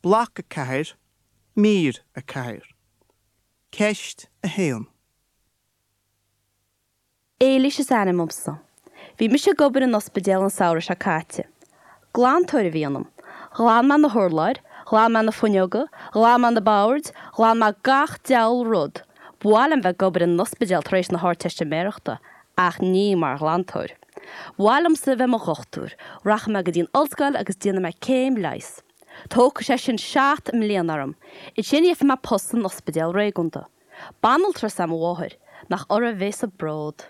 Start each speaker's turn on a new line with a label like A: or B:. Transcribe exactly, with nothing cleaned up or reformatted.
A: Bloc a ceathair, Mír a ceathair. Ceist a haon.
B: Éilís is ainm domsa. Bhí mise ag obair in ospidéal an samhradh seo caite. Glantóir a bhí ionam. Ghlan mé na hurláir, ghlan mé na fuinneoga, ghlan mé na boird, ghlan mé gach diabhal rud. Ba mhaith liom bheith ag obair in ospidéal tar éis na hArdteistiméireachta, ach ní mar ghlantóir. Ba mhaith liomsa bheith i mo dhochtúir, rachaidh mé go dtí an ollscoil agus déanfaidh mé céim leighis. Tógfaidh sé sin seacht mbliana orm. Ansin gheobhaidh mé post san ospidéal réigiúnda. Banaltra is ea mo mháthair, nach uirthi a bheas an bród.